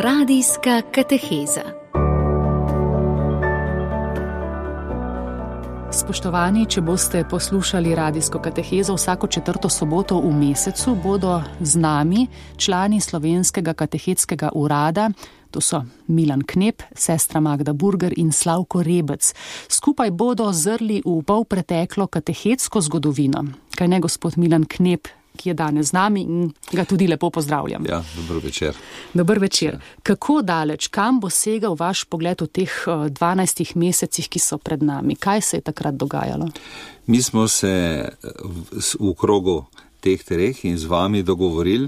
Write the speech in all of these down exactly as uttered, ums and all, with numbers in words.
Radijska kateheza. Spoštovani, če boste poslušali radijsko katehezo vsako četrto soboto v mesecu, bodo z nami člani Slovenskega katehetskega urada, to so Milan Knep, sestra Magda Burger in Slavko Rebec. Skupaj bodo zrli v polpreteklo katehetsko zgodovino. Kaj ne, gospod Milan Knep, ki je danes z nami in ga tudi lepo pozdravljam. Ja, dober večer. Dober večer. Kako daleč, kam bo segal vaš pogled v teh dvanajstih mesecih, ki so pred nami? Kaj se je takrat dogajalo? Mi smo se v, v krogu teh treh in z vami dogovorili,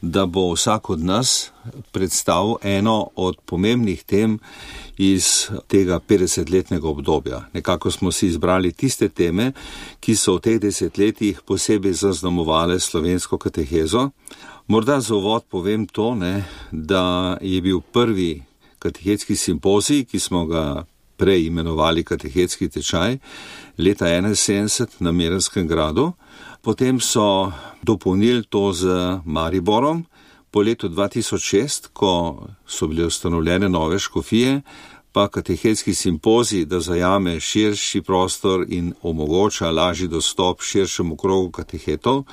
da bo vsak od nas predstavil eno od pomembnih tem iz tega petdesetletnega obdobja. Nekako smo si izbrali tiste teme, ki so v teh desetletjih posebej zaznamovale slovensko katehezo. Morda za uvod povem to, ne, da je bil prvi katehetski simpozij, ki smo ga prej imenovali katehetski tečaj, leta enainsedemdeset na Miranskem gradu. Potem so dopolnili to z Mariborom po letu dva tisoč šest, ko so bile ustanovljene nove škofije, pa katehetski simpozij, da zajame širši prostor in omogoča lažji dostop širšemu krogu katehetov,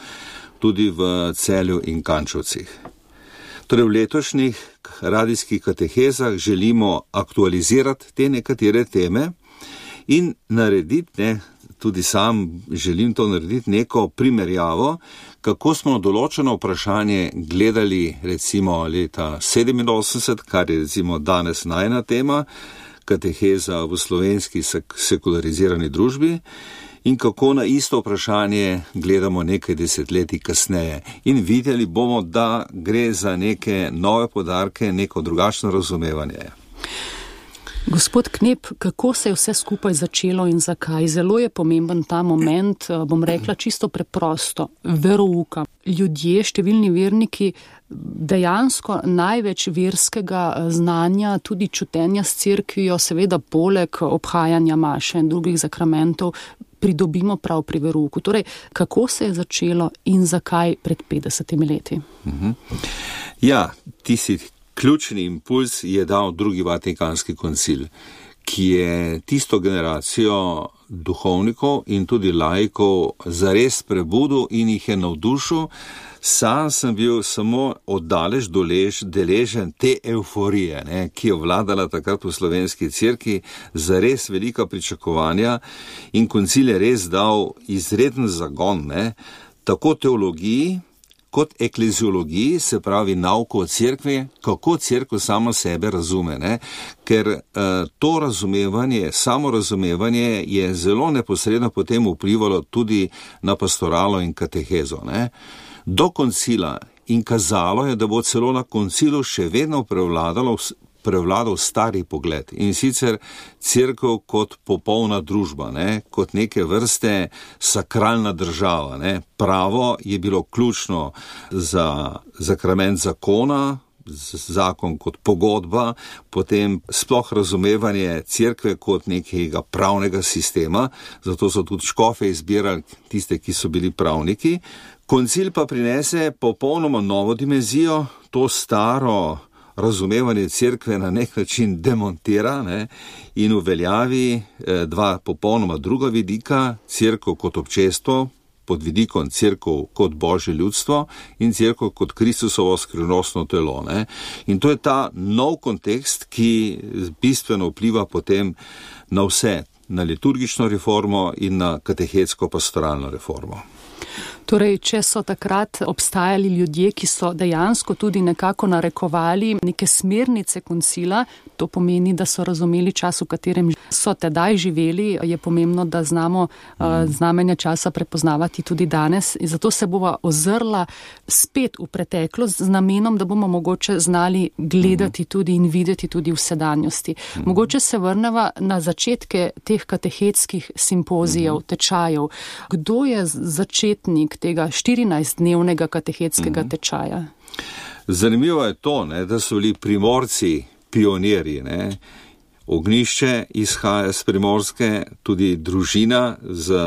tudi v Celju in Kančovcih. Torej v letošnjih radijskih katehezah želimo aktualizirati te nekatere teme in narediti, ne, tudi sam želim to narediti, neko primerjavo, kako smo določeno vprašanje gledali recimo leta sedeminosemdeset, kar je recimo danes najna tema, kateheza v slovenski sek- sekularizirani družbi, in kako na isto vprašanje gledamo nekaj desetletij kasneje. In videli bomo, da gre za neke nove podarke, neko drugačno razumevanje. Gospod Knep, kako se je vse skupaj začelo in zakaj? Zelo je pomemben ta moment, bom rekla čisto preprosto, verouka. Ljudje, številni verniki, dejansko največ verskega znanja, tudi čutenja s cerkvijo, seveda poleg obhajanja maše in drugih zakramentov, pridobimo prav pri verouku. Torej, kako se je začelo in zakaj pred petdesetimi leti? Mhm. Ja, ti si... Ključni impuls je dal drugi Vatikanski koncil, ki je tisto generacijo duhovnikov in tudi laikov zares prebudil in jih je navdušil. Sam sem bil samo oddaleč dolež, deležen te euforije, ne, ki je vladala takrat v slovenski cerkvi, zares velika pričakovanja, in koncil je res dal izreden zagon, ne, tako teologiji kot ekleziologiji, se pravi nauko o cerkvi, kako cerkev samo sebe razume, ne? Ker uh, to razumevanje, samo razumevanje je zelo neposredno potem vplivalo tudi na pastoralo in katehezo, ne? Do koncila in kazalo je, da bo celo na koncilu še vedno prevladalo prevladal stari pogled, in sicer cerkev kot popolna družba, ne, kot neke vrste sakralna država, ne. Pravo je bilo ključno za zakrament zakona, zakon kot pogodba, potem sploh razumevanje cerkve kot nekega pravnega sistema, zato so tudi škofe izbirali tiste, ki so bili pravniki. Koncil pa prinese popolnoma novo dimenzijo, to staro razumevanje cerkve na nek način demontira, ne, in uveljavi eh, dva popolnoma druga vidika, cerkev kot občestvo, pod vidikom cerkev kot božje ljudstvo in cerkev kot Kristusovo skrivnostno telo. Ne. In to je ta nov kontekst, ki bistveno vpliva potem na vse, na liturgično reformo in na katehetsko pastoralno reformo. Torej, če so takrat obstajali ljudje, ki so dejansko tudi nekako narekovali neke smernice koncila, to pomeni, da so razumeli čas, v katerem so tedaj živeli, je pomembno, da znamo uh, znamenja časa prepoznavati tudi danes. In zato se bova ozrla spet v preteklost z namenom, da bomo mogoče znali gledati tudi in videti tudi v sedanjosti. Mogoče se vrneva na začetke teh katehetskih simpozijev, tečajev. Kdo je začetnik tega štirinajstdnevnega katehetskega tečaja? Zanimivo je to, ne, da so bili Primorci pionirji, ne. Ognjišče izhaja z Primorske, tudi družina z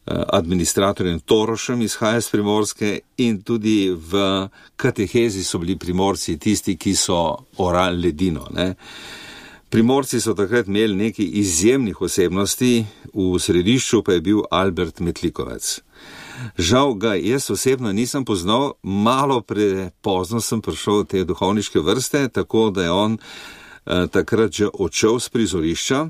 administratorjem Torošem izhaja iz Primorske in tudi v katehezi so bili Primorci tisti, ki so orali ledino, ne. Primorci so takrat imeli nekaj izjemnih osebnosti, v središču pa je bil Albert Metlikovec. Žal ga jaz osebno nisem poznal, malo prepozno sem prišel v te duhovniške vrste, tako da je on eh, takrat že odšel z prizorišča.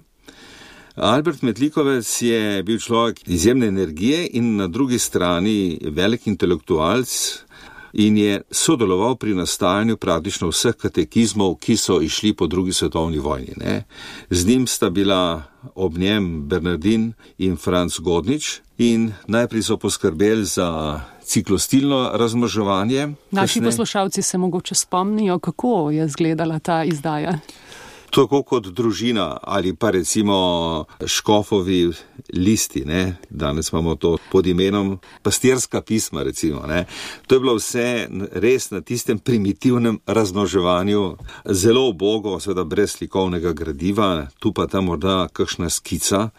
Albert Metlikovec je bil človek izjemne energije in na drugi strani velik intelektualc in je sodeloval pri nastajanju praktično vseh katekizmov, ki so išli po drugi svetovni vojni, ne. Z njim sta bila ob njem Bernardin in Franc Godnič in najprej so poskrbeli za ciklostilno razmnoževanje. Naši kasne... poslušalci se mogoče spomnijo, kako je izgledala ta izdaja. Tako kot družina ali pa recimo škofovi listi, ne. Danes imamo to pod imenom pastirska pisma, recimo, ne. To je bilo vse res na tistem primitivnem razmnoževanju, zelo ubogo, seveda brez slikovnega gradiva, tu pa tam morda kakšna skica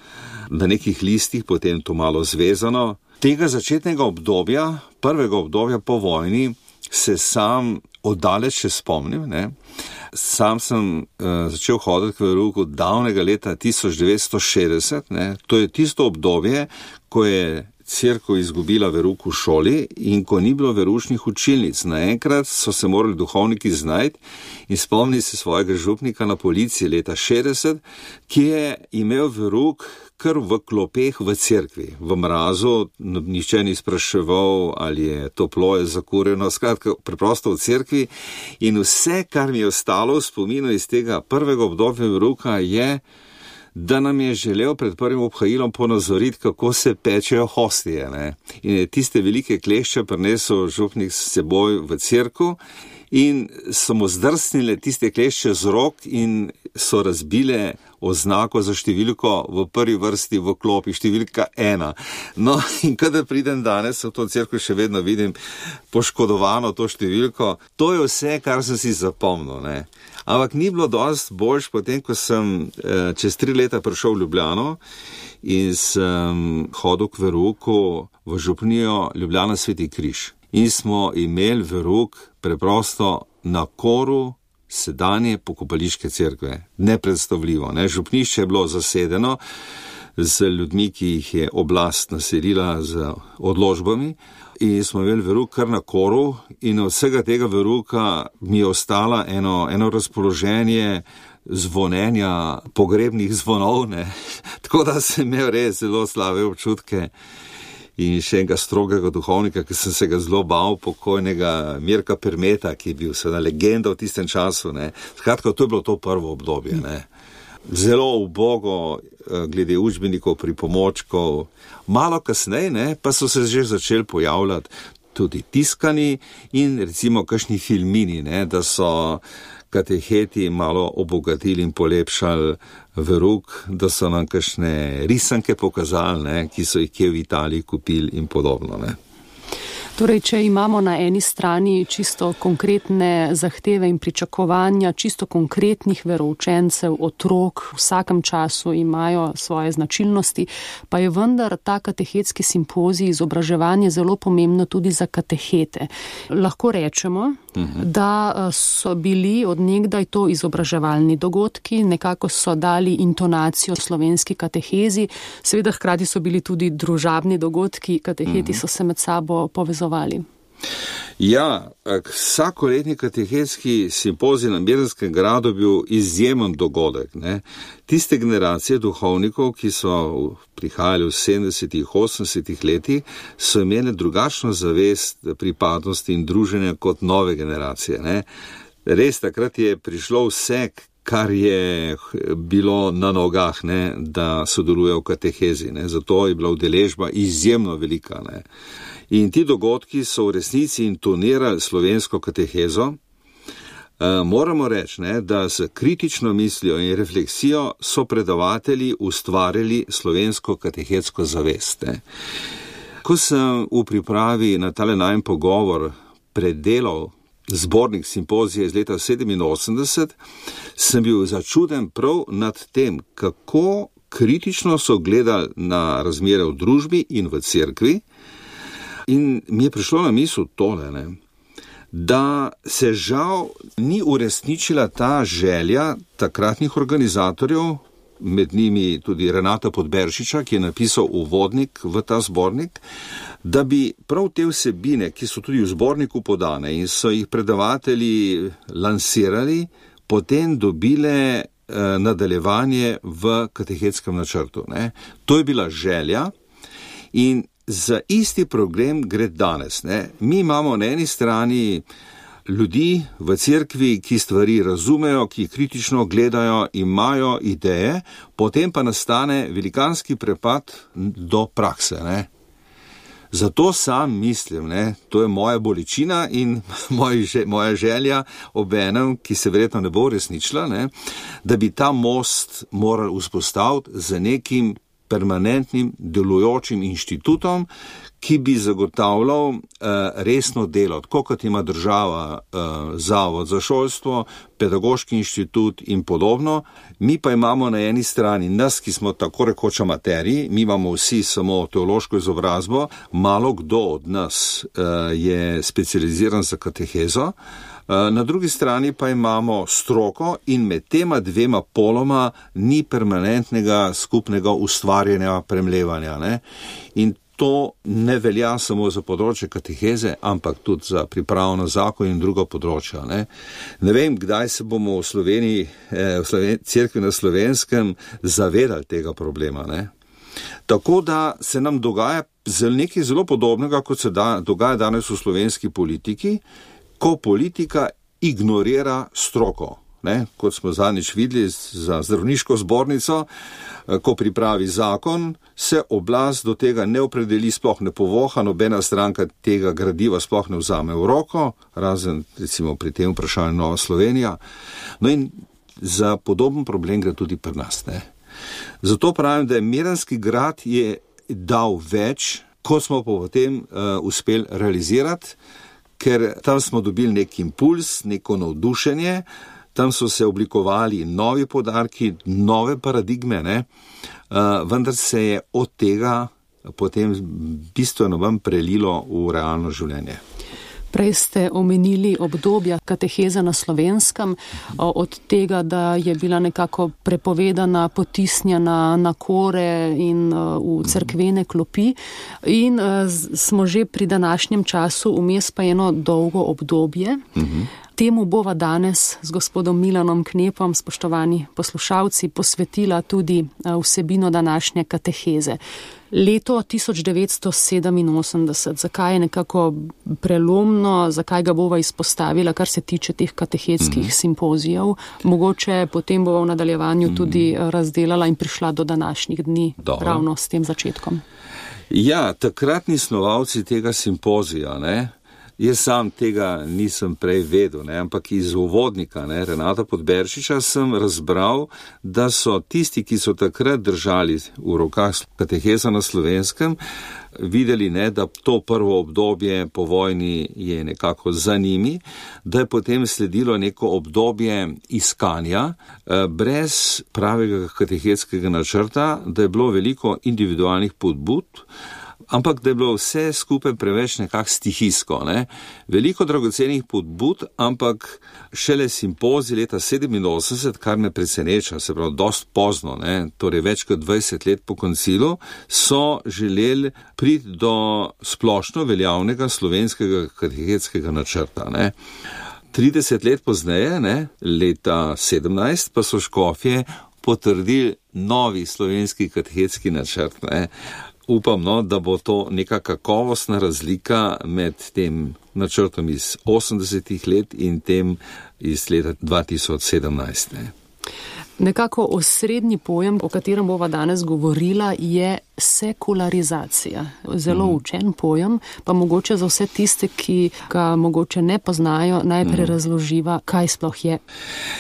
na nekih listih, potem to malo zvezano. Tega začetnega obdobja, prvega obdobja po vojni, se sam oddaleč še spomnim, ne. Sam sem uh, začel hoditi k verouku davnega leta tisoč devetsto šestdeset, ne. To je tisto obdobje, ko je cerkev izgubila verouk v šoli in ko ni bilo veroučnih učilnic. Naenkrat so se morali duhovniki znajti in spomniti se svojega župnika na Policiji leta šestdeset, ki je imel verouk kar v klopeh v cerkvi, v mrazu, nihče ni spraševal, ali je toplo, je zakurjeno, skratka, preprosto v cerkvi. In vse, kar mi je ostalo v spominu iz tega prvega obdobja verouka, je, da nam je želel pred prvim obhajilom ponazoriti, kako se pečejo hostije, ne. In je tiste velike klešče prinesel župnik s seboj v cerkev in so mu zdrsnile tiste klešče z rok in so razbile oznako za številko v prvi vrsti v klopi, številka ena. No, in kadar pridem danes v to cerkev, še vedno vidim poškodovano to številko. To je vse, kar sem si zapomnil, ne. Ampak ni bilo dosti boljš, potem, ko sem eh, čez tri leta prišel v Ljubljano in sem hodil k verouku v župnijo Ljubljana Sveti Križ. In smo imeli verouk preprosto na koru sedanje pokopališke cerkve. Nepredstavljivo, ne. Župnišče je bilo zasedeno z ljudmi, ki jih je oblast naselila z odložbami in smo imeli verouk kar na koru in od vsega tega verouka mi je ostala eno, eno razpoloženje zvonenja pogrebnih zvonov, ne. Tako da sem imel res zelo slabe občutke. In še enega strogega duhovnika, ki sem se ga zelo bal, pokojnega Mirka Permeta, ki je bil seveda legenda v tistem času, ne. Skratka, to je bilo to prvo obdobje, ne. Zelo ubogo glede učbenikov, pripomočkov. Malo kasneje, ne, pa so se že začeli pojavljati tudi tiskani in recimo kakšni filmini, ne, da so kateheti malo obogatili in polepšali verouk, da so nam kakšne risanke pokazali, ne, ki so jih kje v Italiji kupili in podobno, ne. Torej, če imamo na eni strani čisto konkretne zahteve in pričakovanja, čisto konkretnih veroučencev, otrok, v vsakem času imajo svoje značilnosti, pa je vendar ta katehetski simpozij, izobraževanje zelo pomembno tudi za katehete. Lahko rečemo, uh-huh. da so bili od nekdaj to izobraževalni dogodki, nekako so dali intonacijo slovenski katehezi, seveda hkrati so bili tudi družabni dogodki, kateheti uh-huh. so se med sabo povezovali. Ja, vsakoletni katehetski simpozij na Mirnskem gradu bil izjemen dogodek, ne. Tiste generacije duhovnikov, ki so prihajali v sedemdesetih, osemdesetih letih, so imeli drugačno zavest pripadnosti in druženja kot nove generacije, ne. Res, takrat je prišlo vse, kar je bilo na nogah, ne, da sodeluje v katehezi, ne. Zato je bila udeležba izjemno velika, ne. In ti dogodki so v resnici intonirali slovensko katehezo. E, moramo reči, ne, da s kritično mislijo in refleksijo so predavatelji ustvarjali slovensko katehetsko zavest. Ne. Ko sem v pripravi na tale najin pogovor predelal zbornik simpozije iz leta sedeminosemdeset, sem bil začuden prav nad tem, kako kritično so gledali na razmere v družbi in v cerkvi. In mi je prišlo na misel tole, ne, da se žal ni uresničila ta želja takratnih organizatorjev, med njimi tudi Renata Podberšiča, ki je napisal uvodnik v ta zbornik, da bi prav te vsebine, ki so tudi v zborniku podane in so jih predavatelji lansirali, potem dobile eh, nadaljevanje v katehetskem načrtu. Ne. To je bila želja in za isti program gre danes. Ne. Mi imamo na eni strani ljudi v cerkvi, ki stvari razumejo, ki kritično gledajo, imajo ideje, potem pa nastane velikanski prepad do prakse. Ne. Zato sam mislim, ne, to je moja bolečina in moja želja obenem, ki se verjetno ne bo resničila, ne, da bi ta most morali vzpostaviti z nekim permanentnim delujočim inštitutom, ki bi zagotavljal uh, resno delo, tako kot ima država uh, Zavod za šolstvo, Pedagoški inštitut in podobno. Mi pa imamo na eni strani nas, ki smo tako rekoč amaterji, mi imamo vsi samo teološko izobrazbo, malo kdo od nas uh, je specializiran za katehezo, na drugi strani pa imamo stroko in med tema dvema poloma ni permanentnega skupnega ustvarjanja, premlevanja. Ne? In to ne velja samo za področje kateheze, ampak tudi za pripravo na zakon in druga področja. Ne, ne vem, kdaj se bomo v Sloveniji, v Sloven- cerkvi na Slovenskem zavedali tega problema. Ne. Tako da se nam dogaja nekaj zelo podobnega, kot se da, dogaja danes v slovenski politiki, ko politika ignorira stroko. Ne, kot smo zadnjič videli za zdravniško zbornico, ko pripravi zakon, se oblast do tega ne opredeli, sploh ne povoha, nobena stranka tega gradiva sploh ne vzame v roko, razen recimo pri tem vprašanju Nova Slovenija. No in za podoben problem gre tudi pri nas. Ne. Zato pravim, da je Miranski grad je dal več, kot smo pa potem uh, uspeli realizirati, ker tam smo dobili nek impuls, neko navdušenje, tam so se oblikovali novi poudarki, nove paradigme, ne? Uh, vendar se je od tega potem bistveno vam prelilo v realno življenje. Prej ste omenili obdobja kateheze na Slovenskem, od tega, da je bila nekako prepovedana, potisnjena na kore in v cerkvene klopi. In smo že pri današnjem času, vmes pa eno dolgo obdobje. Uh-huh. Temu bova danes z gospodom Milanom Knepom, spoštovani poslušalci, posvetila tudi vsebino današnje kateheze. Leto tisoč devetsto sedeminosemdeset, zakaj je nekako prelomno, zakaj ga bova izpostavila, kar se tiče teh katehetskih mm. simpozijev. Mogoče potem bova v nadaljevanju mm. tudi razdelala in prišla do današnjih dni. Dobro. Ravno s tem začetkom. Ja, takratni snovalci tega simpozija, ne? Jaz sam tega nisem prej vedel, ne, ampak iz uvodnika, ne, Renata Podberšiča sem razbral, da so tisti, ki so takrat držali v rokah kateheza na Slovenskem, videli, ne, da to prvo obdobje po vojni je nekako za njimi, da je potem sledilo neko obdobje iskanja, brez pravega katehetskega načrta, da je bilo veliko individualnih podbud, ampak da je bilo vse skupaj preveč nekako stihijsko. Ne? Veliko dragocenih podbud, ampak šele simpozij leta sedeminosemdeset, kar me preseneča, se pravi dost pozno, ne? Torej več kot dvajset let po koncilu, so želeli priti do splošno veljavnega slovenskega katehetskega načrta. Ne? trideset let pozneje, ne? Leta sedemnajst, pa so škofje potrdili novi slovenski katehetski načrt. Ne? Upam, no, da bo to neka kakovostna razlika med tem načrtom iz osemdesetih let in tem iz leta dva tisoč sedemnajst. Ne. Nekako osrednji pojem, o katerem bova danes govorila, je sekularizacija. Zelo mm. učen pojem, pa mogoče za vse tiste, ki ga mogoče ne poznajo, najprej mm. razloživa, kaj sploh je.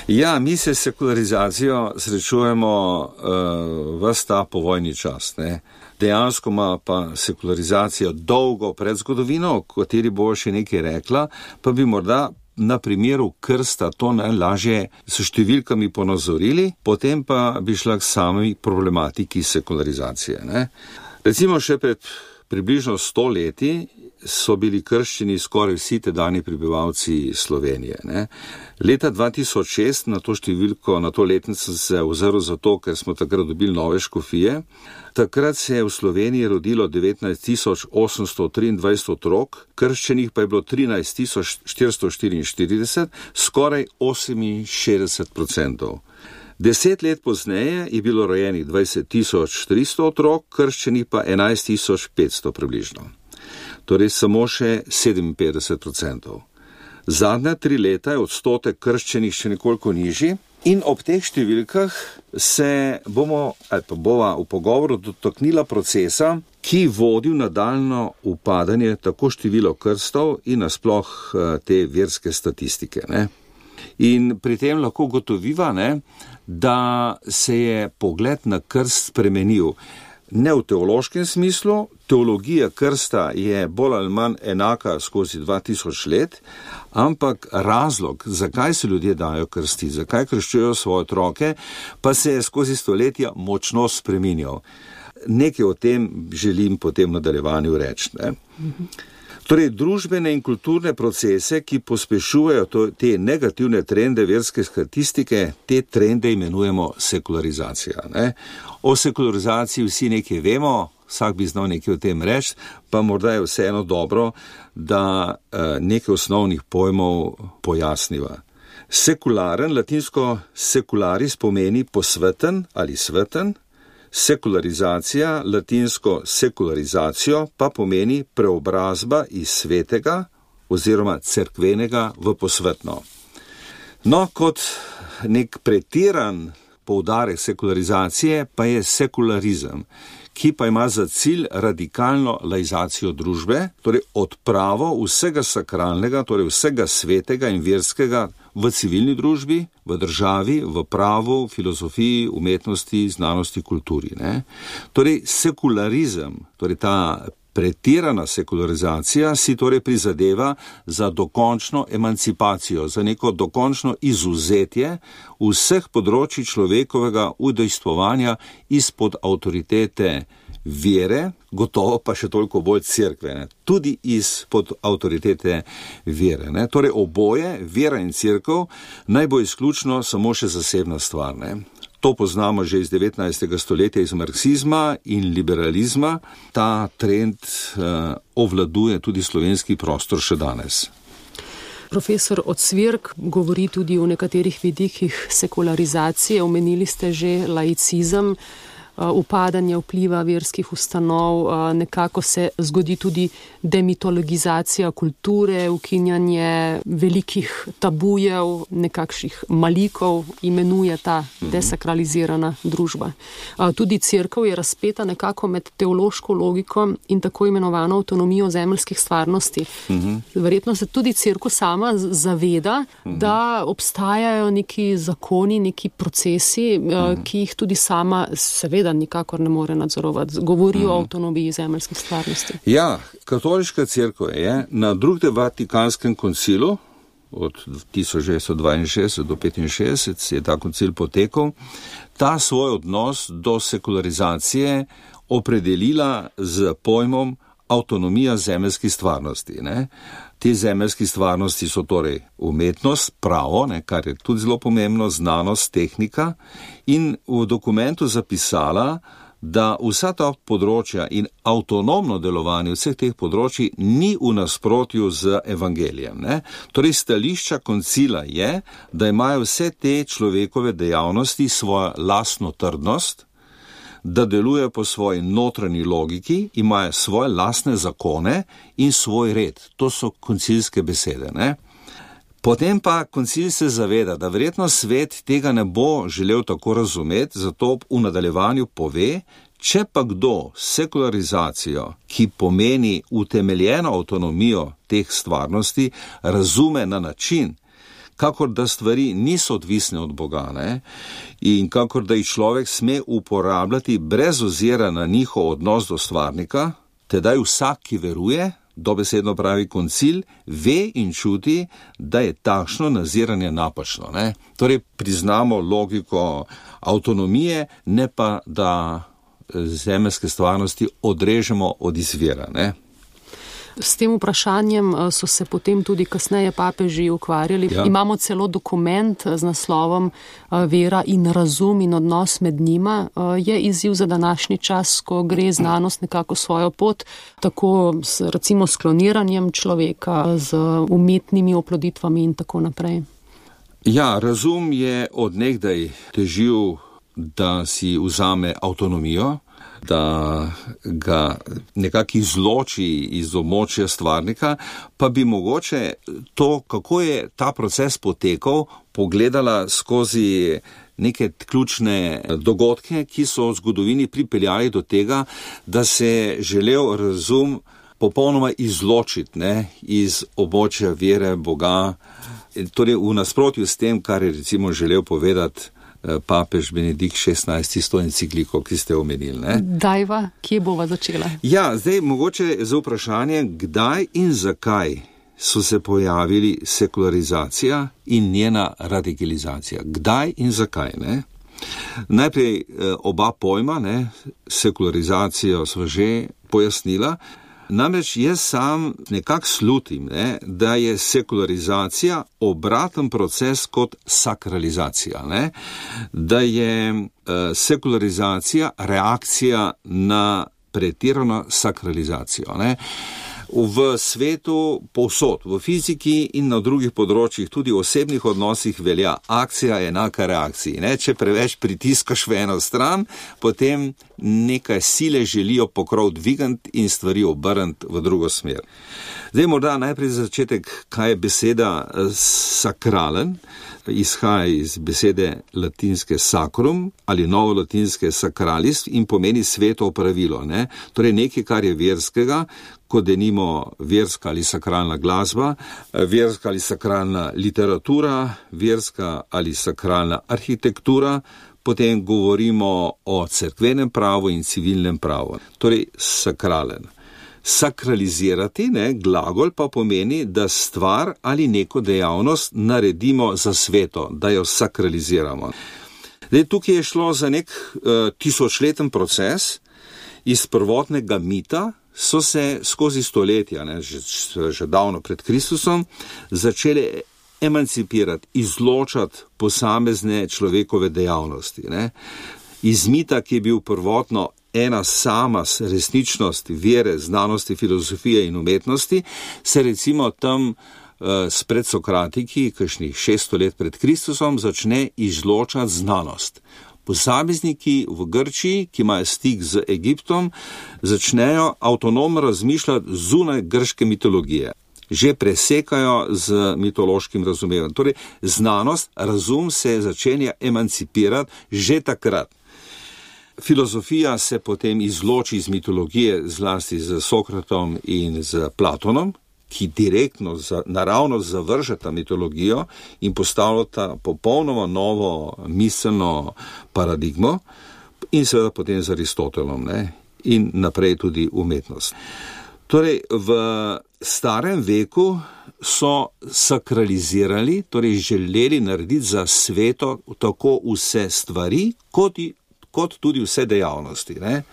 Ja, mi se s sekularizacijo srečujemo uh, ves ta povojni čas, ne. Dejansko ima pa sekularizacija dolgo pred zgodovino, o kateri bo še nekaj rekla, pa bi morda na primeru krsta to najlažje s številkami ponazorili, potem pa bi šla k sami problematiki sekularizacije. Ne? Recimo še pred približno sto leti so bili krščeni skoraj vsi tedajni prebivalci Slovenije. Ne? Leta dva tisoč šest na to številko, na to letnico se ozrl zato, ker smo takrat dobili nove škofije. Takrat se je v Sloveniji rodilo devetnajst tisoč osemsto triindvajset otrok, krščenih pa je bilo trinajst tisoč štiristo štiriinštirideset, skoraj oseminšestdeset procentov. Deset let pozneje je bilo rojenih dvajset tisoč tristo otrok, krščenih pa enajst tisoč petsto približno. Torej samo še sedeminpetdeset procentov. Zadnja tri leta je odstotek krščenih še nekoliko nižji in ob teh številkah se bomo, ali pa bova v pogovoru dotaknila procesa, ki vodi v nadaljno upadanje tako število krstov in nasploh te verske statistike. Ne? In pri tem lahko gotoviva, ne, da se je pogled na krst spremenil. Ne v teološkem smislu, teologija krsta je bolj ali manj enaka skozi dva tisoč let, ampak razlog, zakaj se ljudje dajo krsti, zakaj krščujejo svoje otroke, pa se je skozi stoletja močno spreminjal. Nekaj o tem želim potem v nadaljevanju reči. Ne? Torej, družbene in kulturne procese, ki pospešujejo to, te negativne trende verske statistike, te trende imenujemo sekularizacija. Ne? O sekularizaciji vsi nekaj vemo, vsak bi znal nekaj o tem reči, pa morda je vseeno dobro, da eh, nekaj osnovnih pojmov pojasniva. Sekularen, latinsko secularis pomeni posveten ali sveten, sekularizacija, latinsko sekularizacijo, pa pomeni preobrazba iz svetega oziroma cerkvenega v posvetno. No, kot nek pretiran poudarek sekularizacije pa je sekularizem, ki pa ima za cilj radikalno laizacijo družbe, torej odpravo vsega sakralnega, torej vsega svetega in verskega v civilni družbi, v državi, v pravu, filozofiji, umetnosti, znanosti, kulturi. Ne? Torej sekularizem, torej ta pretirana sekularizacija si torej prizadeva za dokončno emancipacijo, za neko dokončno izvzetje vseh področij človekovega udejstvovanja izpod avtoritete vere, gotovo pa še toliko bolj cerkve, ne? Tudi izpod avtoritete vere. Ne? Torej oboje, vera in cerkev, naj bo izključno samo še zasebna stvar. Ne? To poznamo že iz devetnajstega stoletja, iz marksizma in liberalizma. Ta trend uh, ovladuje tudi slovenski prostor še danes. Profesor Ocvirk govori tudi o nekaterih vidikih sekularizacije. Omenili ste že laicizem, upadanje vpliva verskih ustanov, nekako se zgodi tudi demitologizacija kulture, ukinjanje velikih tabujev, nekakšnih malikov, imenuje ta desakralizirana družba. Tudi cerkev je razpeta nekako med teološko logiko in tako imenovano avtonomijo zemeljskih stvarnosti. Verjetno se tudi cerkev sama zaveda, da obstajajo neki zakoni, neki procesi, ki jih tudi sama seveda nikakor ne more nadzorovati. Govori o avtonomiji zemeljskih stvarnosti. Ja, katoliška cerkev je na drugem Vatikanskem koncilu od tisoč devetsto dvainšestdeset do petinšestdeset je ta koncil potekal, ta svoj odnos do sekularizacije opredelila z pojmom avtonomija zemeljskih stvarnosti. Ne? Te zemeljske stvarnosti so torej umetnost, pravo, ne, kar je tudi zelo pomembno, znanost, tehnika, in v dokumentu zapisala, da vsa ta področja in avtonomno delovanje vseh teh področji ni v nasprotju z evangelijem. Ne. Torej stališča koncila je, da imajo vse te človekove dejavnosti svojo lastno trdnost, da delujejo po svoji notranji logiki, imajo svoje lastne zakone in svoj red. To so koncilske besede. Ne? Potem pa koncil se zaveda, da verjetno svet tega ne bo želel tako razumeti, zato v nadaljevanju pove, če pa kdo sekularizacijo, ki pomeni utemeljeno avtonomijo teh stvarnosti, razume na način, kakor da stvari niso odvisne od Boga, ne? In kakor da jih človek sme uporabljati brez ozira na njihov odnos do stvarnika, tedaj vsak, ki veruje, dobesedno pravi koncil, ve in čuti, da je takšno naziranje napačno. Ne? Torej priznamo logiko avtonomije, ne pa da zemeljske stvarnosti odrežemo od izvira. Ne? S tem vprašanjem so se potem tudi kasneje papeži ukvarjali. Ja. Imamo celo dokument z naslovom Vera in razum in odnos med njima. Je izziv za današnji čas, ko gre znanost nekako svojo pot, tako s, recimo s kloniranjem človeka, z umetnimi oploditvami in tako naprej. Ja, razum je od nekdaj težil, da si vzame avtonomijo, da ga nekako izloči iz območja stvarnika, pa bi mogoče to, kako je ta proces potekal, pogledala skozi neke ključne dogodke, ki so v zgodovini pripeljali do tega, da se je želel razum popolnoma izločiti, ne, iz območja vere Boga, torej v nasprotju s tem, kar je recimo želel povedati papež Benedikt šestnajsti s to encikliko, ki ste omenili. Ne? Dajva, kje bova začela? Ja, zdaj mogoče za vprašanje, kdaj in zakaj so se pojavili sekularizacija in njena radikalizacija. Kdaj in zakaj, ne? Najprej oba pojma, ne, sekularizacijo sva že pojasnila. Namreč jaz sam nekako slutim, ne, da je sekularizacija obraten proces kot sakralizacija, ne, da je uh, sekularizacija reakcija na pretirano sakralizacijo. Ne. V svetu povsod, v fiziki in na drugih področjih, tudi v osebnih odnosih velja akcija enaka reakciji. Ne? Če preveč pritiskaš v eno stran, potem nekaj sile želijo pokrov dvigant in stvari obrniti v drugo smer. Zdaj morda najprej za začetek, kaj je beseda sakralen, izhaja iz besede latinske sacrum ali novolatinske sacralis in pomeni sveto opravilo. Ne? Torej nekaj, kar je verskega, kot denimo verska ali sakralna glasba, verska ali sakralna literatura, verska ali sakralna arhitektura, potem govorimo o cerkvenem pravu in civilnem pravu. Torej sakralen. Sakralizirati, ne, glagol pa pomeni, da stvar ali neko dejavnost naredimo za sveto, da jo sakraliziramo. Zdaj, tukaj je šlo za nek uh, tisočleten proces. Iz prvotnega mita so se skozi stoletja, ne, že, že davno pred Kristusom, začele emancipirati, izločati posamezne človekove dejavnosti. Ne. Iz mita, ki je bil prvotno ena sama resničnost vere, znanosti, filozofije in umetnosti, se recimo tam uh, s predsokratiki, kakšnih šeststo let pred Kristusom, začne izločati znanost. Posamezniki v Grčiji, ki imajo stik z Egiptom, začnejo avtonomno razmišljati zunaj grške mitologije. Že presekajo z mitološkim razumevanjem. Torej, znanost, razum se začenja emancipirati že takrat. Filozofija se potem izloči iz mitologije, zlasti z Sokratom in z Platonom, ki direktno, naravno zavržeta mitologijo in postavljata popolnoma novo miselno paradigmo, in seveda potem z Aristotelom, ne, in naprej tudi umetnost. Torej, v starem veku so sakralizirali, torej želeli narediti za sveto tako vse stvari, kot, kot tudi vse dejavnosti. Ne.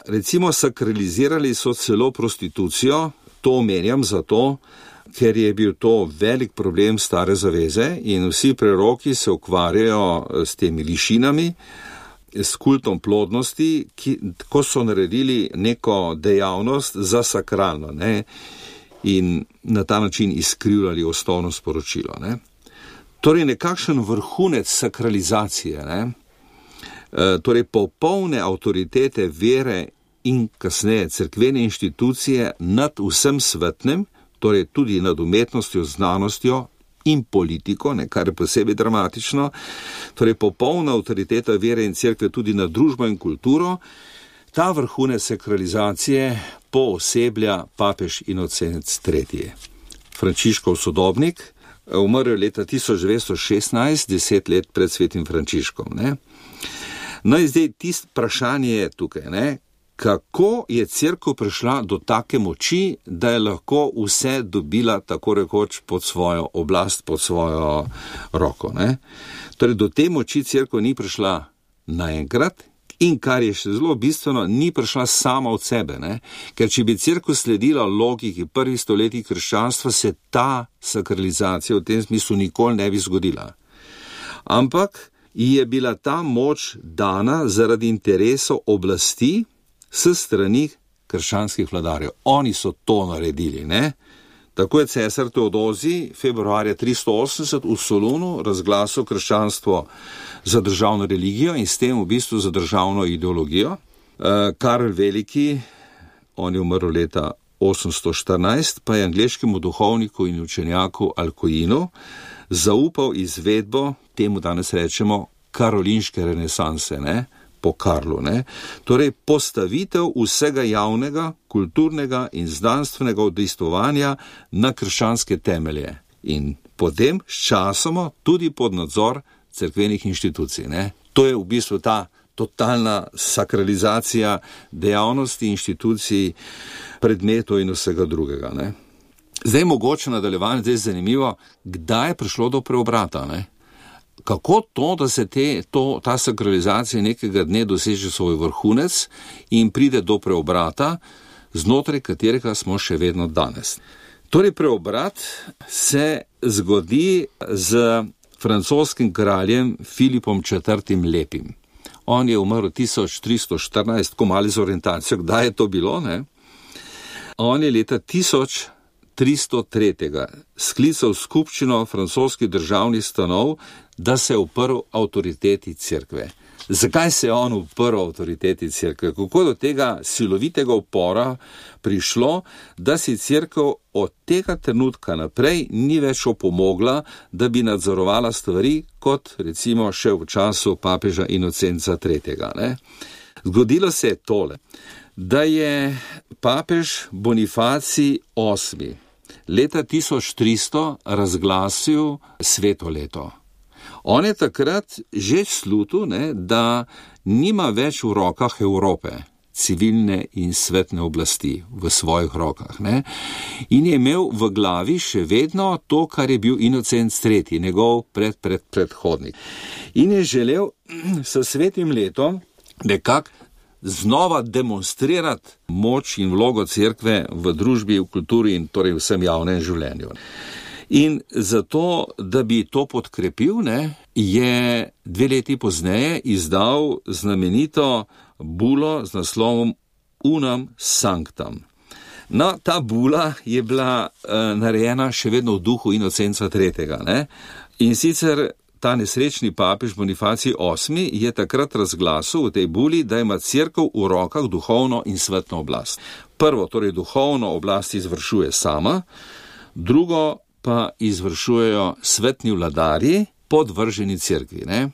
Recimo, sakralizirali so celo prostitucijo. To omenjam zato, ker je bil to velik problem stare zaveze in vsi preroki se ukvarjajo s temi lišinami, s kultom plodnosti, ki, ko so naredili neko dejavnost za sakralno, ne, in na ta način izkrivljali osnovno sporočilo. Ne. Torej nekakšen vrhunec sakralizacije, ne, e, torej popolne avtoritete vere in kasneje cerkvene inštitucije nad vsem svetnem, torej tudi nad umetnostjo, znanostjo in politiko, ne, kar je posebej dramatično, torej popolna avtoriteta vere in cerkve tudi nad družbo in kulturo. Ta vrhunec sakralizacije pooseblja papež Inocenc tretji. Frančiškov sodobnik, umrl leta tisoč devetsto šestnajst, deset let pred svetim Frančiškom. Ne. No in zdaj tisto vprašanje je tukaj, ne, kako je cerkev prišla do take moči, da je lahko vse dobila tako rekoč pod svojo oblast, pod svojo roko. Ne? Torej, do te moči cerkev ni prišla naenkrat in kar je še zelo bistveno, ni prišla sama od sebe. Ne? Ker če bi cerkev sledila logiki prvih stoletij krščanstva, se ta sakralizacija v tem smislu nikoli ne bi zgodila. Ampak je bila ta moč dana zaradi interesov oblasti s strani krščanskih vladarjev. Oni so to naredili, ne? Tako je cesar Teodozij februarja tristo osemdeset v Solunu razglasil krščanstvo za državno religijo in s tem v bistvu za državno ideologijo. Karel Veliki, on je umrl leta osemsto štirinajst, pa je angleškemu duhovniku in učenjaku Alcuinu zaupal izvedbo, temu danes rečemo, karolinške renesanse, ne? Po Karlu, ne? Torej postavitev vsega javnega, kulturnega in znanstvenega udejstvovanja na krščanske temelje in potem s časoma tudi pod nadzor cerkvenih inštitucij, ne? To je v bistvu ta totalna sakralizacija dejavnosti, inštitucij, predmetov in vsega drugega, ne? Zdaj mogoče nadaljevanje, zdaj je zanimivo, kdaj je prišlo do preobrata, ne? Kako to, da se te, to, ta sakralizacija nekega dne doseže svoj vrhunec in pride do preobrata, znotraj katerega smo še vedno danes. Torej preobrat se zgodi z francoskim kraljem Filipom četrtim Lepim. On je umrl tisoč tristo štirinajst, ko mali z orientacijo, kdaj je to bilo, ne? On je leta tisoč tristo tri sklical skupščino francoskih državnih stanov, da se je uprl avtoriteti cerkve. Zakaj se je on uprl avtoriteti cerkve? Kako do tega silovitega upora prišlo, da si cerkev od tega trenutka naprej ni več opomogla, da bi nadzorovala stvari, kot recimo še v času papeža Inocenca tretjega. Ne? Zgodilo se je tole, da je papež Bonifacij osmi leta tisoč tristo razglasil sveto leto. On je takrat že slutil, ne, da nima več v rokah Evrope, civilne in svetne oblasti v svojih rokah. Ne. In je imel v glavi še vedno to, kar je bil Inocenc tretji, njegov pred, pred, predhodnik. In je želel s svetim letom nekako znova demonstrirati moč in vlogo cerkve v družbi, v kulturi in torej vsem javnem življenju. In zato, da bi to podkrepil, ne, je dve leti pozneje izdal znamenito bulo z naslovom Unam Sanctam. No, ta bula je bila uh, narejena še vedno v duhu Inocenca tretjega. Ne? In sicer ta nesrečni papež Bonifacij osmi je takrat razglasil v tej buli, da ima cerkev v rokah duhovno in svetno oblast. Prvo, torej duhovno oblast izvršuje sama, drugo pa izvršujejo svetni vladarji, podvrženi cerkvi. Ne?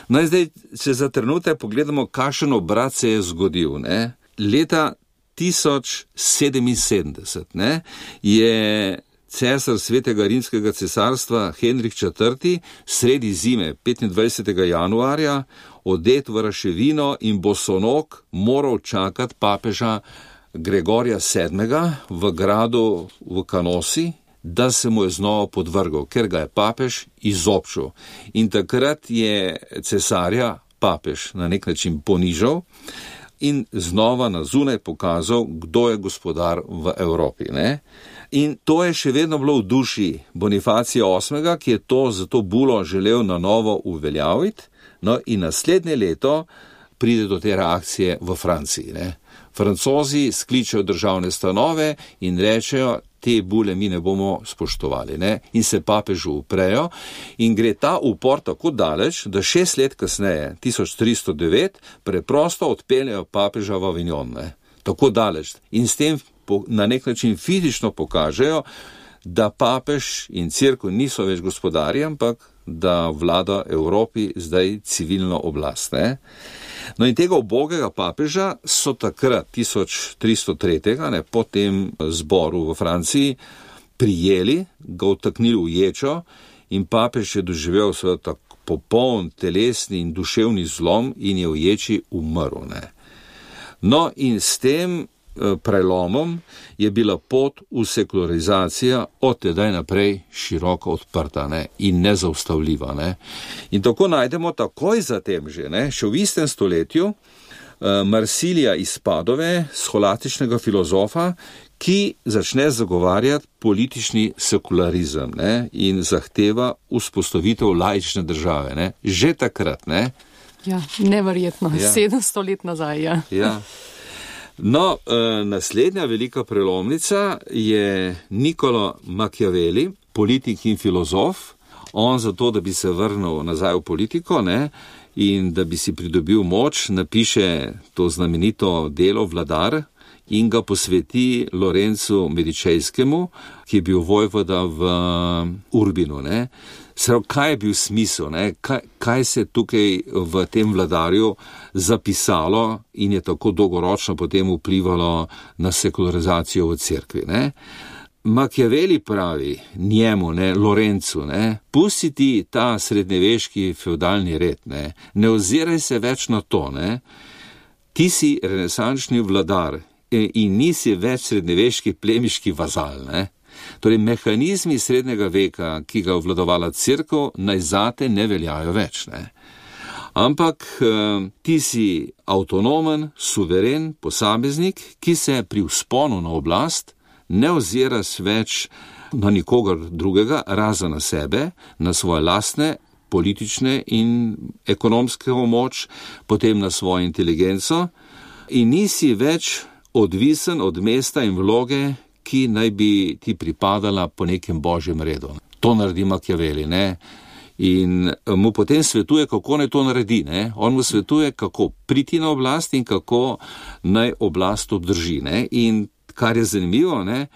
No in zdaj, če za trenutek pogledamo, kakšen obrat se je zgodil. Ne? Leta tisoč sedeminsedemdeset ne, je cesar svetega rimskega cesarstva Henrik četrti sredi zime petindvajsetega januarja odet v raševino in bosonog moral čakati papeža Gregorja sedmega v gradu v Kanosi, da se mu je znova podvrgal, ker ga je papež izobčil. In takrat je cesarja papež na nek način ponižal in znova na zunaj pokazal, kdo je gospodar v Evropi. Ne? In to je še vedno bilo v duši Bonifacija osmega, ki je to za to bulo želel na novo uveljaviti, no in naslednje leto pride do te reakcije v Franciji. Ne? Francozi skličejo državne stanove in rečejo, te bule mi ne bomo spoštovali. Ne? In se papežu uprejo in gre ta upor tako daleč, da šest let kasneje, tisoč tristo devet, preprosto odpeljejo papeža v Avignon. Ne? Tako daleč. In s tem na nek način fizično pokažejo, da papež in cerkev niso več gospodarji, ampak da vlada Evropi zdaj civilno oblast. Ne? No in tega ubogega papeža so takrat, tisoč tristo tri, ne, po tem zboru v Franciji, prijeli, ga vtaknili v ječo in papež je doživel seveda popoln telesni in duševni zlom in je v ječi umrl. Ne. No in s tem prelomom je bila pot v sekularizacijo od tedaj naprej široko odprta, ne, in nezaustavljiva. Ne. In tako najdemo takoj zatem že, ne, še v istem stoletju, Marsilija iz Padove, scholastičnega filozofa, ki začne zagovarjati politični sekularizem, ne, in zahteva vzpostavitev laične države. Ne. Že takrat. Ne. Ja, neverjetno, ja. sedemsto let nazaj. Ja. Ja. No, naslednja velika prelomnica je Niccolo Machiavelli, politik in filozof. On zato, da bi se vrnil nazaj v politiko, ne, in da bi si pridobil moč, napiše to znamenito delo Vladar in ga posveti Lorenzu Medičejskemu, ki je bil vojvoda v Urbinu. Ne. Srav, kaj je bil smisel, ne? Kaj, kaj se tukaj v tem Vladarju zapisalo in je tako dolgoročno potem vplivalo na sekularizacijo v cerkvi. Ne? Machiavelli pravi njemu, ne, Lorencu, ne, pusti ti ta srednjeveški feudalni red, ne, ne oziraj se več na to, ne, ti si renesančni vladar in nisi več srednjeveški plemiški vazal, ne. Torej, mehanizmi srednjega veka, ki ga vladovala cerkev, naj zate ne veljajo več, ne. Ampak ti si avtonomen, suveren posameznik, ki se pri vzponu na oblast ne oziraš več na nikogar drugega, razen na sebe, na svoje lastne politične in ekonomske moč, potem na svojo inteligenco in nisi več odvisen od mesta in vloge, ki naj bi ti pripadala po nekem božjem redu. To naredi Machiavelli, ne? In mu potem svetuje, kako naj to naredi, ne? On mu svetuje, kako priti na oblast in kako naj oblast obdrži, ne? In kar je zanimivo, ne?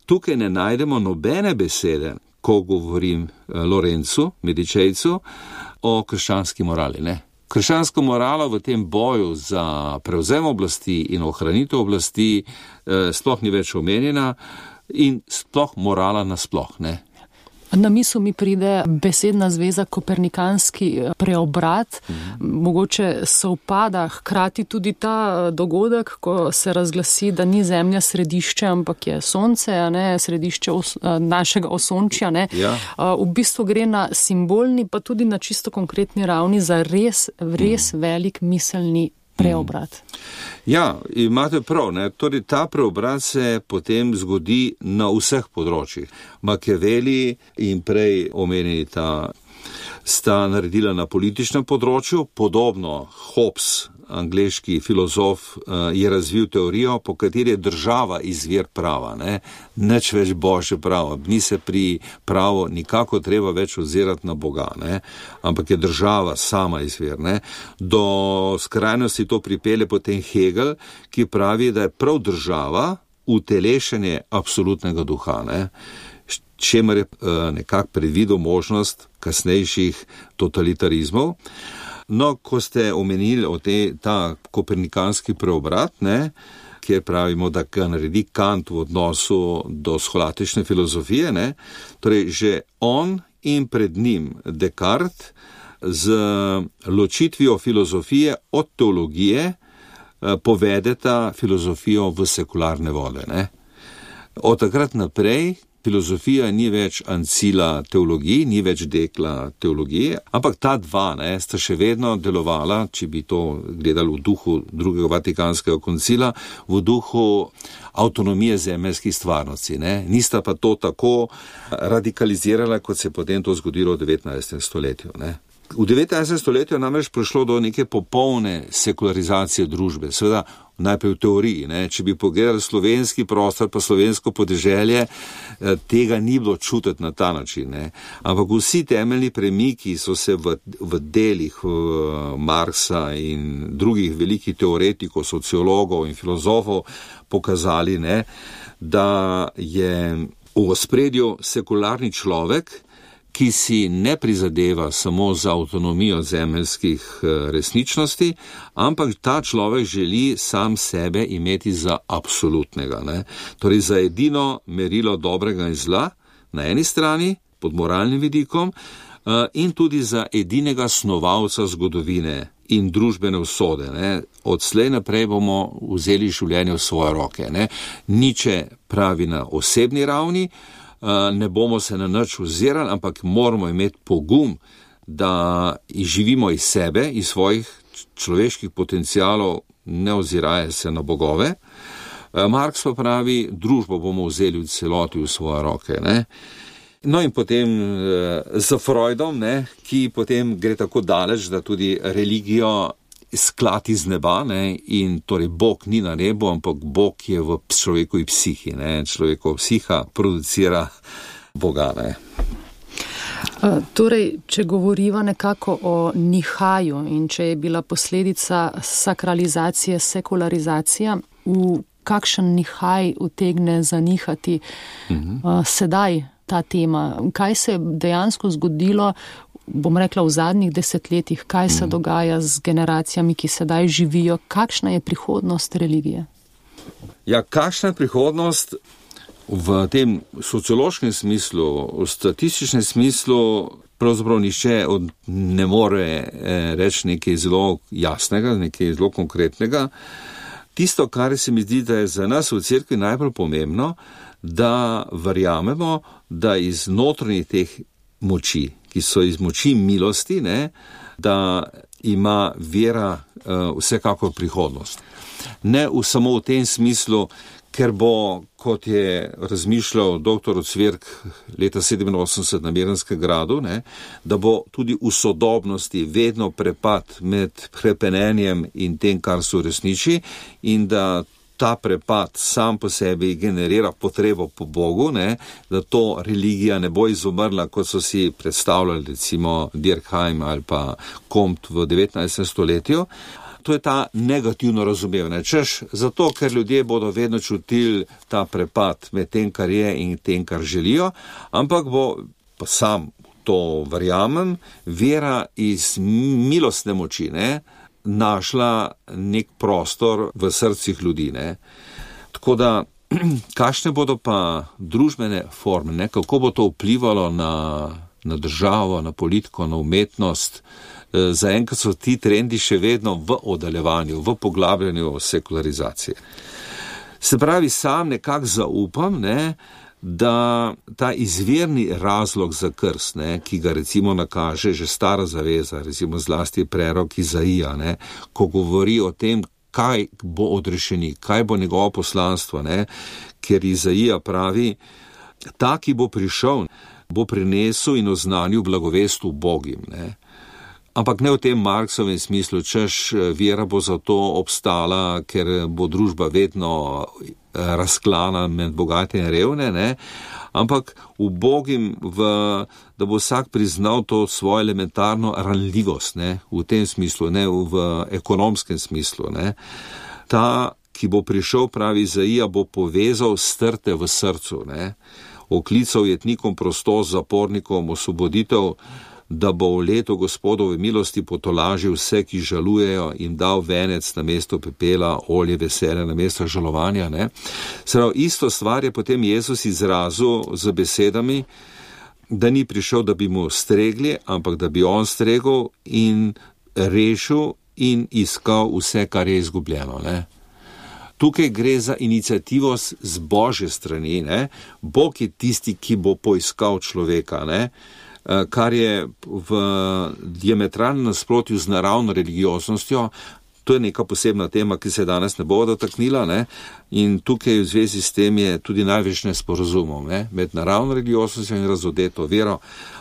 Tukaj ne najdemo nobene besede, ko govorim Lorencu, Medičejcu, o krščanski morali, ne? Krščanska morala v tem boju za prevzem oblasti in ohranitev oblasti eh, sploh ni več omenjena in sploh morala nasploh, ne. Na misel mi pride besedna zveza kopernikanski preobrat, mhm. mogoče sovpada hkrati tudi ta dogodek, ko se razglasi, da ni Zemlja središče, ampak je Sonce, a ne, središče os, našega osončja. Ne. Ja. V bistvu gre na simbolni, pa tudi na čisto konkretni ravni za res, res mhm. velik miselni preobrat. Ja, imate prav, ne? Torej ta preobrat se potem zgodi na vseh področjih. Machiavelli in prej omenjeni ta sta naredila na političnem področju, podobno Hobbes, angleški filozof, je razvil teorijo, po kateri je država izvir prava, ne? Nič več božje pravo, ni se pri pravo nikako treba več ozirati na Boga, ne? Ampak je država sama izvir, ne? Do skrajnosti to pripelje potem Hegel, ki pravi, da je prav država utelešenje absolutnega duha, ne? Čemer je nekako predvidel možnost kasnejših totalitarizmov. No, ko ste omenili o te, ta kopernikanski preobrat, ne, kjer pravimo, da ga naredi Kant v odnosu do scholastične filozofije, ne, torej že on in pred njim Descartes z ločitvijo filozofije od teologije povedeta filozofijo v sekularne vode, ne. Od takrat naprej filozofija ni več ancila teologiji, ni več dekla teologije, ampak ta dva, ne, sta še vedno delovala, če bi to gledali v duhu drugega Vatikanskega koncila, v duhu avtonomije zemeljskih stvarnosti, ne. Nista pa to tako radikalizirala, kot se je potem to zgodilo v devetnajstem stoletju, ne. V devetnajstem stoletju namreč prišlo do neke popolne sekularizacije družbe, seveda najprej v teoriji, ne. Če bi pogledali slovenski prostor pa slovensko podeželje, tega ni bilo čutiti na ta način, ne. Ampak vsi temeljni premiki so se v, v delih Marxa in drugih velikih teoretikov, sociologov in filozofov pokazali, ne, da je v ospredju sekularni človek, ki si ne prizadeva samo za avtonomijo zemeljskih resničnosti, ampak ta človek želi sam sebe imeti za absolutnega, ne? Torej za edino merilo dobrega in zla na eni strani, pod moralnim vidikom, in tudi za edinega snovalca zgodovine, in družbene usode. Ne. Odslej naprej bomo vzeli življenje v svoje roke. Ne. Niče pravi na osebni ravni, ne bomo se na nič ozirali, ampak moramo imeti pogum, da živimo iz sebe, iz svojih človeških potencialov, ne oziraje se na bogove. Marx pa pravi, družbo bomo vzeli v celoti v svoje roke. Ne. No in potem z Freudom, ne, ki potem gre tako daleč, da tudi religijo sklad iz neba, ne, in torej Bog ni na nebu, ampak Bog je v človekovi psihi, ne, človekova psiha producira Boga, ne. Torej, če govoriva nekako o nihaju in če je bila posledica sakralizacije, sekularizacija, v kakšen nihaj utegne zanihati uh, sedaj ta tema? Kaj se je dejansko zgodilo, bom rekla, v zadnjih desetletjih, kaj se dogaja z generacijami, ki sedaj živijo, kakšna je prihodnost religije? Ja, kakšna je prihodnost v tem sociološkem smislu, v statističnem smislu, pravzaprav nišče od, ne more eh, reči nekaj zelo jasnega, nekaj zelo konkretnega. Tisto, kar se mi zdi, da je za nas v cerkvi najbolj pomembno, da verjamemo, da iz notranjih teh moči, ki so iz moči milosti, ne, da ima vera uh, vsekakor prihodnost. Ne v, samo v tem smislu, ker bo, kot je razmišljal doktor Cvirk leta sedeminosemdeset na Miranskem gradu, ne, da bo tudi v sodobnosti vedno prepad med hrepenenjem in tem, kar so resniči, in da ta prepad sam po sebi generira potrebo po Bogu, ne, da to religija ne bo izumrla, kot so si predstavljali recimo Durkheim ali pa Comte v devetnajstem stoletju. To je ta negativno razumevanje. Češ, zato, ker ljudje bodo vedno čutili ta prepad med tem, kar je in tem, kar želijo, ampak bo, pa sam to verjamem, vera iz milostne moči, ne, našla nek prostor v srcih ljudi, ne. Tako da, kakšne bodo pa družbene forme, ne, kako bo to vplivalo na, na državo, na politiko, na umetnost. Zaenkrat so ti trendi še vedno v oddaljevanju, v poglabljanju sekularizacije. Se pravi, sam nekako zaupam, ne, da ta izvirni razlog za krst, ne, ki ga recimo nakaže že stara zaveza, recimo zlasti prerok Izaija, ne, ko govori o tem, kaj bo odrešenik, kaj bo njegovo poslanstvo, ne, ker Izaija pravi, ta, ki bo prišel, bo prinesel in oznanil blagovest ubogim, ne. Ampak ne v tem Marksovem smislu, češ vera bo zato obstala, ker bo družba vedno razklana med bogate in revne, ne? Ampak ubogim, v, da bo vsak priznal to svojo elementarno ranljivost, ne? V tem smislu, ne v ekonomskem smislu. Ne? Ta, ki bo prišel, pravi Izaija, bo povezal strte v srcu, ne? Oklical jetnikom prostost, zapornikom osvoboditev, da bo v letu Gospodove milosti potolažil vse, ki žalujejo, in dal venec na mesto pepela, olje veselja na mesto žalovanja. Ne? Prav, isto stvar je potem Jezus izrazil z besedami, da ni prišel, da bi mu stregli, ampak da bi on stregel in rešil in iskal vse, kar je izgubljeno. Ne? Tukaj gre za inicijativo z Božje strani. Ne? Bog je tisti, ki bo poiskal človeka, ne? Kar je v diametralnem nasprotju z naravno religioznostjo. To je neka posebna tema, ki se danes ne bo dotaknila, ne? In tukaj v zvezi s tem je tudi največ nesporazumov, ne? Med naravno religioznostjo in razodeto vero,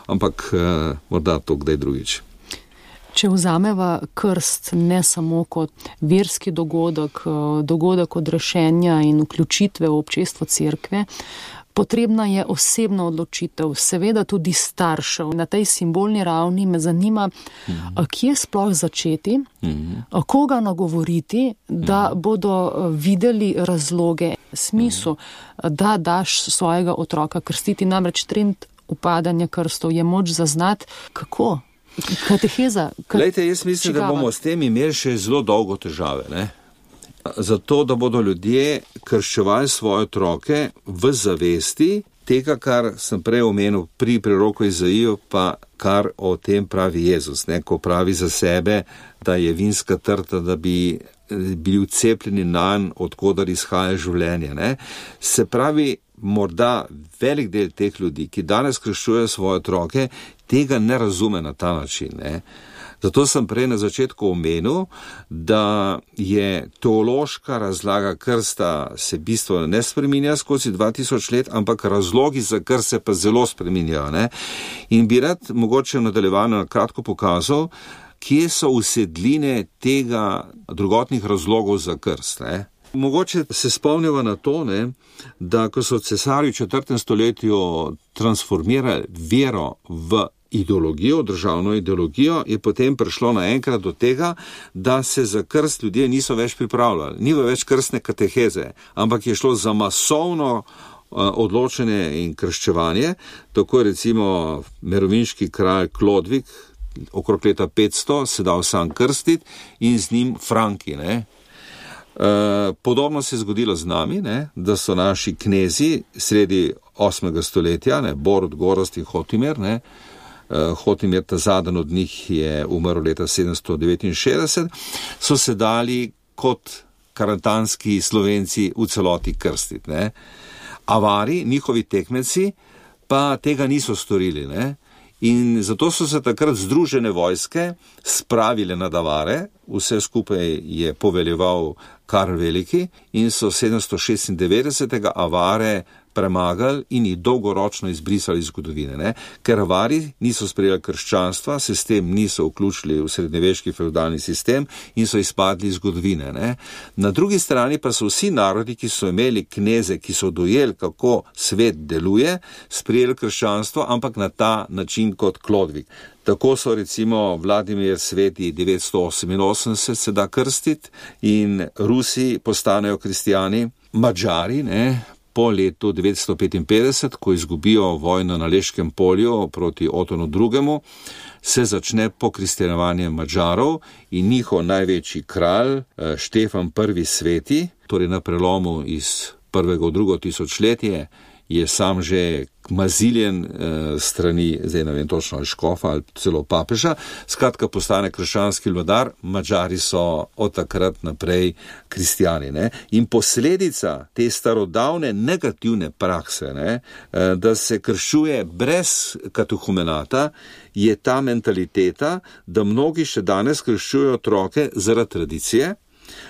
ampak eh, morda to kdaj drugič. Če vzameva krst ne samo kot verski dogodek, dogodek odrešenja in vključitve v občestvo cerkve, potrebna je osebna odločitev, seveda tudi staršev. Na tej simbolni ravni me zanima, mm-hmm. kje sploh začeti, mm-hmm. koga nagovoriti, da mm-hmm. bodo videli razloge, smislu, mm-hmm. da daš svojega otroka krstiti. Namreč trend upadanja krstov je moč zaznati, kako? Kateheza? Glejte, jaz mislim, čigava? Da bomo s tem imeli še zelo dolgo težave, ne? Zato, da bodo ljudje krščevali svoje otroke v zavesti, tega, kar sem prej omenil pri preroku Izaiju, pa kar o tem pravi Jezus, ne, ko pravi za sebe, da je vinska trta, da bi bili vcepljeni nanj, odkudar izhaja življenje. Ne. Se pravi, morda velik del teh ljudi, ki danes krščujejo svoje otroke, tega ne razume na ta način. Ne. Zato sem prej na začetku omenil, da je teološka razlaga krsta se bistveno ne spreminja skozi dva tisoč let, ampak razlogi za krst se pa zelo spreminjajo. Ne? In bi rad mogoče v nadaljevanju na kratko pokazal, kje so usedline tega drugotnih razlogov za krst. Ne? Mogoče se spomnimo na to, ne, da ko so cesarji v četrtem stoletju transformirali vero v ideologijo, državno ideologijo, je potem prišlo naenkrat do tega, da se za krst ljudje niso več pripravljali. Ni več krstne kateheze, ampak je šlo za masovno odločenje in krščevanje. Tako je recimo merovinški kralj Klodvig okrog leta petsto se dal sam krstiti in z njim Franki. Ne? E, podobno se je zgodilo z nami, ne? Da so naši knezi sredi osmega stoletja, ne? Borut, Gorazd in Hotimer, ne? Hotimer, ta zadnji od njih je umrl leta sedemsto devetinšestdeset, so se dali kot karantanski Slovenci v celoti krstiti. Ne? Avari, njihovi tekmeci, pa tega niso storili. Ne? In zato so se takrat združene vojske spravile na Avare, vse skupaj je poveljeval Karl Veliki in so sedemsto šestindevetdesetega Avare premagali in jih dolgoročno izbrisali iz zgodovine. Ne? Ker Avari niso sprejeli krščanstva, se s tem niso vključili v srednjeveški feudalni sistem in so izpadli iz zgodovine. Ne? Na drugi strani pa so vsi narodi, ki so imeli kneze, ki so dojeli, kako svet deluje, sprejeli krščanstvo, ampak na ta način kot Klodvig. Tako so recimo Vladimir Sveti devetsto oseminosemdeset se da krstiti in Rusi postanejo kristijani, Madžari, ne, po letu devetsto petinpetdeset, ko izgubijo vojno na Leškem polju proti Otonu drugemu, se začne pokristjanovanje Madžarov in njihov največji kralj, Štefan prvi Sveti, torej na prelomu iz prvega v drugo tisočletje, je sam že maziljen eh, strani, zdaj ne vem točno ali škofa ali celo papeža, skratka postane krščanski vladar, Madžari so od takrat naprej kristijani. Ne? In posledica te starodavne negativne prakse, ne, eh, da se krščuje brez katehumenata, je ta mentaliteta, da mnogi še danes krščujejo otroke zaradi tradicije,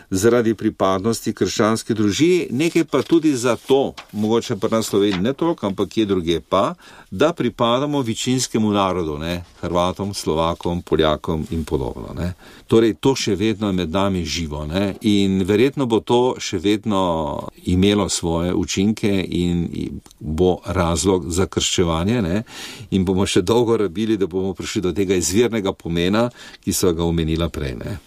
zaradi pripadnosti krščanski družini, nekaj pa tudi zato, mogoče pa na Sloveniji ne toliko, ampak kje druge pa, da pripadamo večinskemu narodu, ne, Hrvatom, Slovakom, Poljakom in podobno. Ne. Torej, to še vedno je med nami živo, ne, in verjetno bo to še vedno imelo svoje učinke in bo razlog za krščevanje, ne, in bomo še dolgo rabili, da bomo prišli do tega izvirnega pomena, ki so ga omenila prej, ne.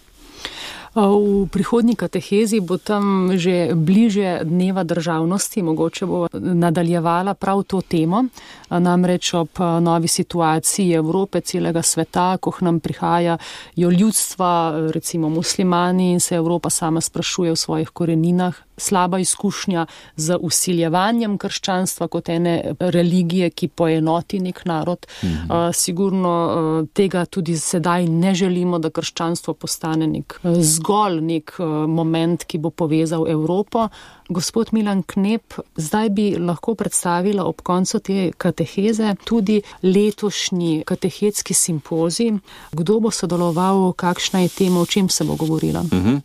V prihodnji katehezi bo tam že bliže dneva državnosti, mogoče bo nadaljevala prav to temo, namreč ob novi situaciji Evrope, celega sveta, ko nam prihajajo ljudstva, recimo muslimani, in se Evropa sama sprašuje v svojih koreninah, slaba izkušnja z vsiljevanjem krščanstva kot ene religije, ki poenoti nek narod. Mhm. Uh, sigurno uh, tega tudi sedaj ne želimo, da krščanstvo postane nek uh, zgolj nek uh, moment, ki bo povezal Evropo. Gospod Milan Knep, zdaj bi lahko predstavila ob koncu te kateheze tudi letošnji katehetski simpozij. Kdo bo sodeloval, kakšna je tema, o čem se bo govorila? Mhm.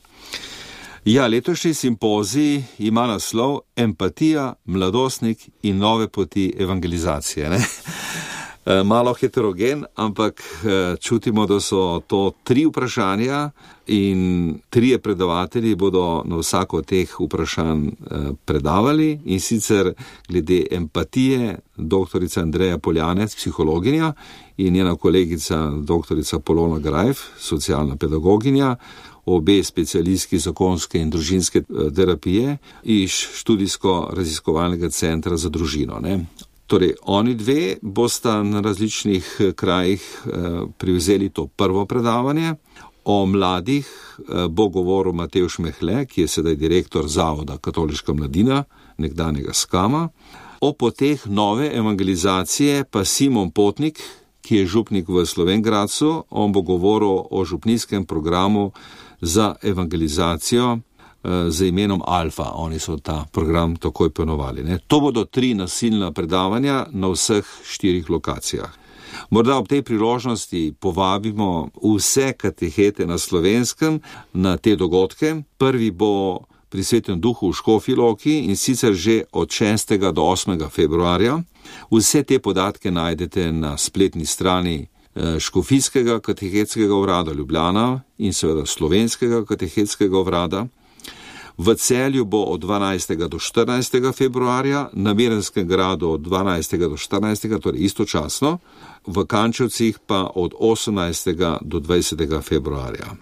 Ja, letošnji simpozij ima naslov Empatija, mladostnik in nove poti evangelizacije. Ne? Malo heterogen, ampak čutimo, da so to tri vprašanja in trije predavatelji bodo na vsako teh vprašanj predavali, in sicer glede empatije doktorica Andreja Poljanec, psihologinja, in njena kolegica doktorica Polona Grajf, socialna pedagoginja, obe specialistki zakonske in družinske terapije iz študijsko-raziskovalnega centra za družino. Ne? Torej, oni dve bosta na različnih krajih eh, privzeli to prvo predavanje. O mladih eh, bo govoril Matevž Mehle, ki je sedaj direktor Zavoda Katoliška mladina, nekdanjega Skama. O poteh nove evangelizacije pa Simon Potnik, ki je župnik v Slovenj Gradcu, on bo govoril o župnijskem programu za evangelizacijo z imenom Alfa. Oni so ta program takoj ponovali. Ne? To bodo tri nasilna predavanja na vseh štirih lokacijah. Morda ob tej priložnosti povabimo vse katehete na Slovenskem na te dogodke. Prvi bo pri Svetem duhu v Škofji Loki in sicer že od šestega do osmega februarja. Vse te podatke najdete na spletni strani Škofijskega katehetskega urada Ljubljana in seveda Slovenskega katehetskega urada. V Celju bo od dvanajstega do štirinajstega februarja, na Mirnskem gradu od dvanajstega do štirinajstega, torej istočasno, v Kančevcih pa od osemnajstega do dvajsetega februarja.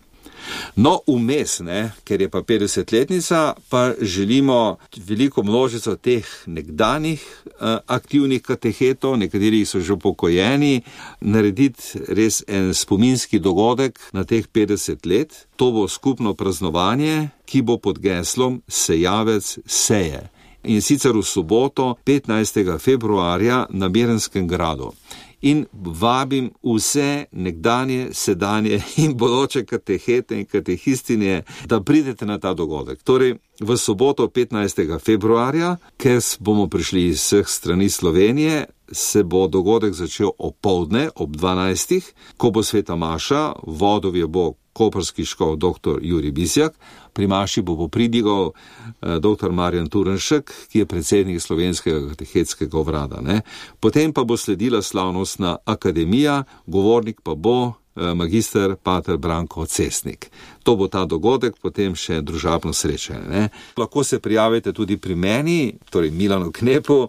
No, vmes, ne, ker je pa petdesetletnica, pa želimo veliko množico teh nekdanjih uh, aktivnih katehetov, nekateri so že upokojeni, narediti res en spominski dogodek na teh petdeset let. To bo skupno praznovanje, ki bo pod geslom Sejavec seje. In sicer v soboto, petnajstega februarja na Mirnskem gradu. In vabim vse nekdanje, sedanje in bodoče katehete in katehistine, da pridete na ta dogodek. Torej, v soboto petnajstega februarja, ker bomo prišli iz vseh strani Slovenije, se bo dogodek začel opoldne ob dvanajstih, ko bo sveta maša, vodov je bo koprski škof doktor Jurij Bizjak, pri maši bo popridigal eh, doktor Marjan Turnšek, ki je predsednik Slovenskega katehetskega urada. Ne? Potem pa bo sledila slavnostna akademija, govornik pa bo eh, magister pater Branko Cesnik. To bo ta dogodek, potem še družabno srečanje. Ne? Lahko se prijavite tudi pri meni, torej Milanu Knepu,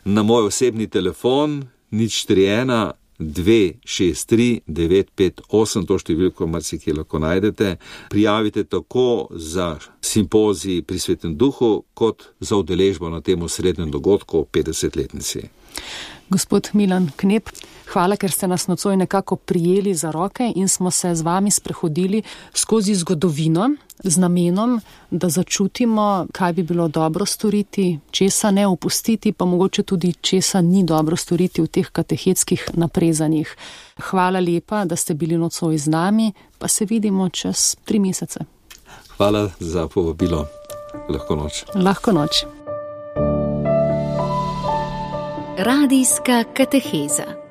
na moj osebni telefon nič tri ena dve šest tri devet pet osem, to številko marsikje lahko najdete. Prijavite tako za simpozij pri Svetem duhu, kot za udeležbo na tem osrednjem dogodku o petdesetletnici. Gospod Milan Knep, hvala, ker ste nas nocoj nekako prijeli za roke in smo se z vami sprehodili skozi zgodovino z namenom, da začutimo, kaj bi bilo dobro storiti, česa ne opustiti, pa mogoče tudi česa ni dobro storiti v teh katehetskih naprezanjih. Hvala lepa, da ste bili nocoj z nami, pa se vidimo čez tri mesece. Hvala za povabilo. Lahko noč. Lahko noč. Radijska kateheza.